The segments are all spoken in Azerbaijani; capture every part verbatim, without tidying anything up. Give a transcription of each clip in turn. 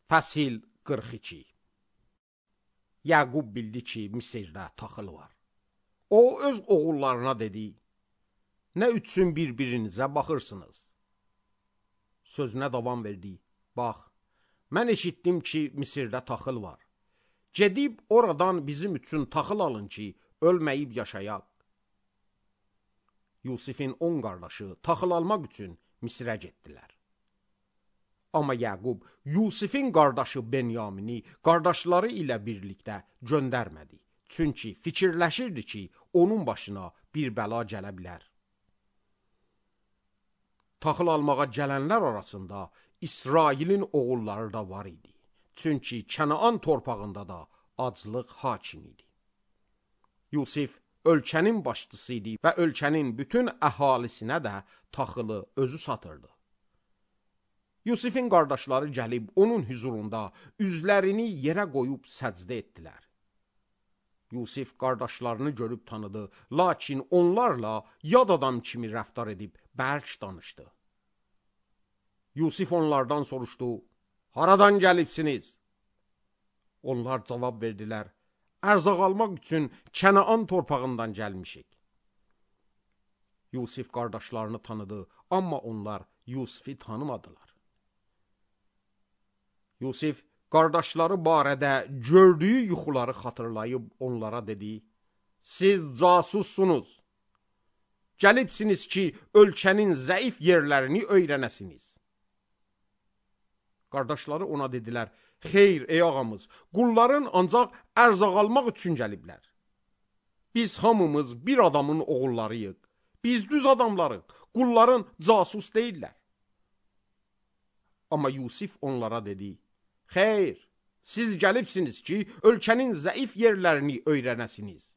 Fəsil qırx iki. Yaqub bildi ki, Misirdə taxıl var. O öz oğullarına dedi, nə üçün bir-birinizə baxırsınız? Sözünə davam verdi, bax, mən eşitdim ki, Misirdə taxıl var. Gedib oradan bizim üçün taxıl alın ki, ölməyib yaşayaq. Yusifin on qardaşı taxıl almaq üçün Misirə getdilər. Amma Yaqub Yusifin qardaşı Benyamini qardaşları ilə birlikdə göndərmədi. Çünki fikirləşirdi ki, onun başına bir bəla gələ bilər. Taxıl almağa gələnlər arasında İsrailin oğulları da var idi. Çünki Kənaan torpağında da aclıq hakim idi. Yusif ölkənin başçısı idi və ölkənin bütün əhalisinə də taxılı özü satırdı. Yusifin qardaşları gəlib onun hüzurunda üzlərini yerə qoyub səcdə etdilər. Yusif qardaşlarını görüb tanıdı, lakin onlarla yad adam kimi rəftar edib bərk danışdı. Yusif onlardan soruşdu, haradan gəlibsiniz? Onlar cavab verdilər, ərzaq almaq üçün Kənaan torpağından gəlmişik. Yusif qardaşlarını tanıdı, amma onlar Yusifi tanımadılar. Yusif qardaşları barədə gördüyü yuxuları xatırlayıb onlara dedi, siz casussunuz. Gəlibsiniz ki, ölkənin zəif yerlərini öyrənəsiniz. Qardaşları ona dedilər, xeyr ey ağamız, qulların ancaq ərzaq almaq üçün gəliblər. Biz hamımız bir adamın oğullarıyıq. Biz düz adamlarıq, qulların casus deyirlər. Amma Yusif onlara dedi, xeyr, siz gəlibsiniz ki, ölkənin zəif yerlərini öyrənəsiniz.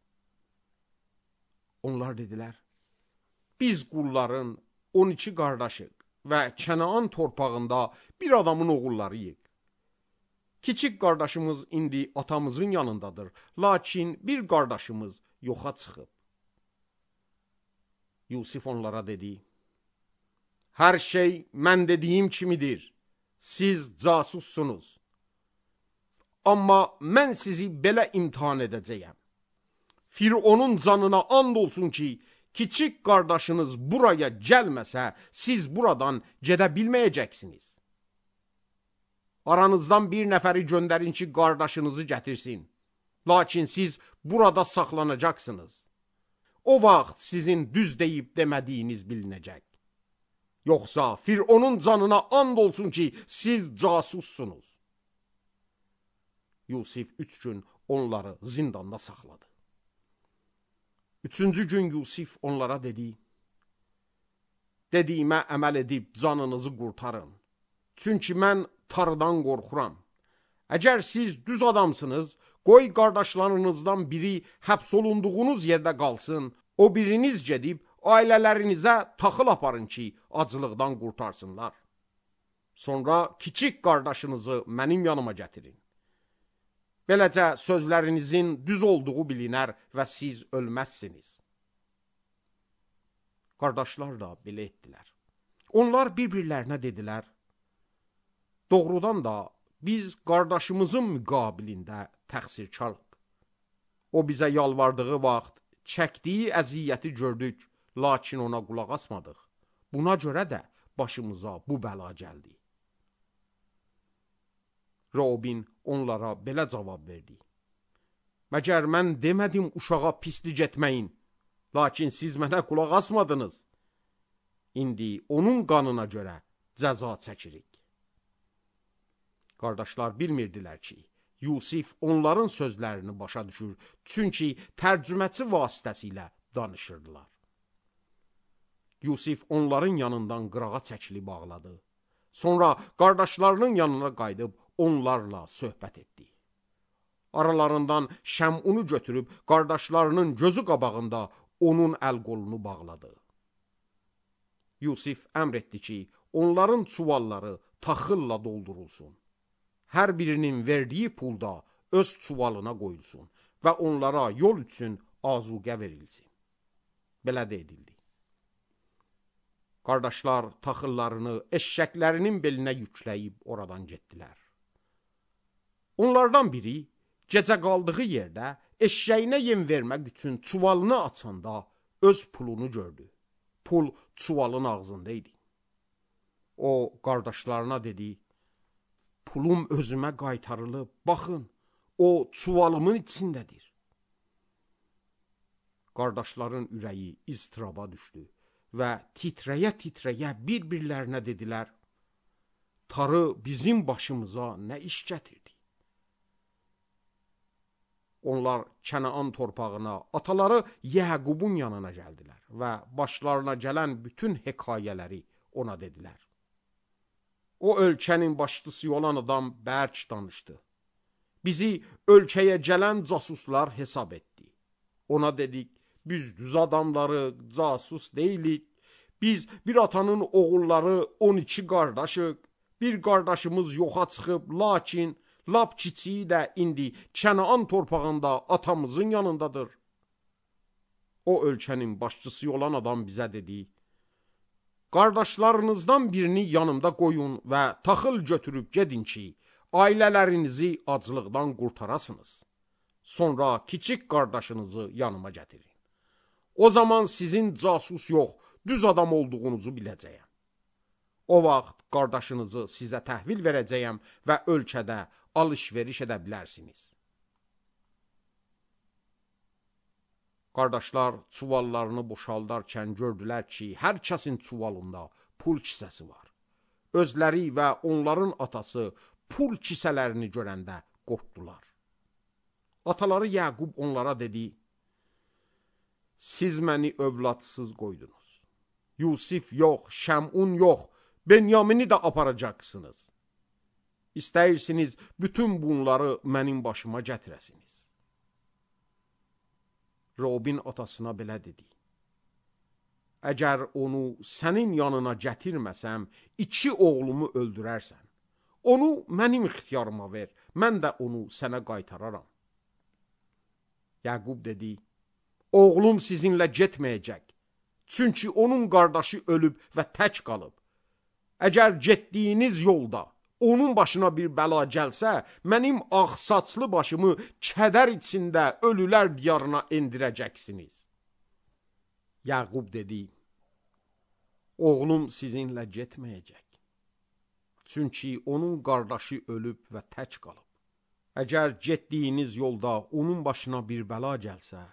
Onlar dedilər, biz qulların on iki qardaşıq və Kənaan torpağında bir adamın oğullarıyıq. Kiçik qardaşımız indi atamızın yanındadır, lakin bir qardaşımız yoxa çıxıb. Yusif onlara dedi, hər şey mən dediyim kimidir, siz casussunuz. Amma mən sizi belə imtihan edəcəyəm. Fironun canına and olsun ki, kiçik qardaşınız buraya gəlməsə, siz buradan gedə bilməyəcəksiniz. Aranızdan bir nəfəri göndərin ki, qardaşınızı gətirsin. Lakin siz burada saxlanacaqsınız. O vaxt sizin düz deyib demədiyiniz bilinəcək. Yoxsa Fironun canına and olsun ki, siz casussunuz. Yusif üç gün onları zindanda saxladı. Üçüncü gün Yusif onlara dedi, dediyimə əməl edib canınızı qurtarın. Çünki mən Tanrıdan qorxuram. Əgər siz düz adamsınız, qoy qardaşlarınızdan biri həbs olunduğunuz yerdə qalsın, o biriniz gedib ailələrinizə taxıl aparın ki, acılıqdan qurtarsınlar. Sonra kiçik qardaşınızı mənim yanıma gətirin. Beləcə sözlərinizin düz olduğu bilinər və siz ölməzsiniz. Qardaşlar da belə etdilər. Onlar bir-birlərinə dedilər, doğrudan da biz qardaşımızın müqabilində təqsirkarıq. O bizə yalvardığı vaxt çəkdiyi əziyyəti gördük, lakin ona qulaq asmadıq. Buna görə də başımıza bu bəla gəldi. Robin onlara belə cavab verdi. Məgər mən demədim uşağa pislik etməyin, lakin siz mənə qulaq asmadınız. İndi onun qanına görə cəza çəkirik. Qardaşlar bilmirdilər ki, Yusif onların sözlərini başa düşür, çünki tərcüməçi vasitəsilə danışırdılar. Yusif onların yanından qırağa çəkilib bağladı. Sonra qardaşlarının yanına qayıdıb onlarla söhbət etdi. Aralarından Şəmunu götürüb qardaşlarının gözü qabağında onun əl-qolunu bağladı. Yusif əmr etdi ki, onların çuvalları taxılla doldurulsun. Hər birinin verdiyi pulda öz çuvalına qoyulsun və onlara yol üçün azuqə verilsin. Belə də edildi. Qardaşlar taxıllarını eşşəklərinin belinə yükləyib oradan getdilər. Onlardan biri gecə qaldığı yerdə eşşəyinə yem vermək üçün çuvalını açanda öz pulunu gördü. Pul çuvalın ağzında idi. O qardaşlarına dedi, pulum özümə qaytarılıb, baxın, o çuvalımın içindədir. Qardaşların ürəyi iztiraba düşdü və titrəyə-titrəyə bir-birlərinə dedilər, Tarı bizim başımıza nə iş gətirdi? Onlar Kənaan torpağına, ataları Yəqubun yanına gəldilər və başlarına gələn bütün hekayələri ona dedilər. O ölkənin başçısı olan adam bərk danışdı. Bizi ölkəyə gələn casuslar hesab etdi. Ona dedik, biz düz adamları, casus deyilik. Biz bir atanın oğulları on iki qardaşıq. Bir qardaşımız yoxa çıxıb, lakin lap kiçiyi də indi Kənaan torpağında atamızın yanındadır. O ölkənin başçısı olan adam bizə dedi, qardaşlarınızdan birini yanımda qoyun və taxıl götürüb gedin ki, ailələrinizi aclıqdan qurtarasınız. Sonra kiçik qardaşınızı yanıma gətirin. O zaman sizin casus yox, düz adam olduğunuzu biləcəyəm. O vaxt qardaşınızı sizə təhvil verəcəyəm və ölkədə alış-veriş edə bilərsiniz. Qardaşlar çuvallarını boşaldarkən gördülər ki, hər kəsin çuvalında pul kisəsi var. Özləri və onların atası pul kisələrini görəndə qorxdular. Ataları Yəqub onlara dedi, siz məni övladsız qoydunuz. Yusif yox, Şəmun yox, Benyamini də aparacaqsınız. İstəyirsiniz bütün bunları mənim başıma gətirəsiniz. Robin atasına belə dedi. Əgər onu sənin yanına gətirməsəm, iki oğlumu öldürərsən. Onu mənim ixtiyarıma ver, mən də onu sənə qaytararam. Yəqub dedi, oğlum sizinlə getməyəcək. Çünki onun qardaşı ölüb və tək qalıb. Əgər getdiyiniz yolda onun başına bir bəla gəlsə, mənim ağ saçlı başımı kədər içində ölülər diyarına endirəcəksiniz. Yəqub dedi, oğlum sizinlə getməyəcək. Çünki onun qardaşı ölüb və tək qalıb. Əgər getdiyiniz yolda onun başına bir bəla gəlsə,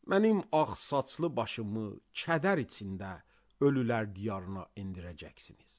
mənim ağ saçlı başımı kədər içində ölülər diyarına endirəcəksiniz.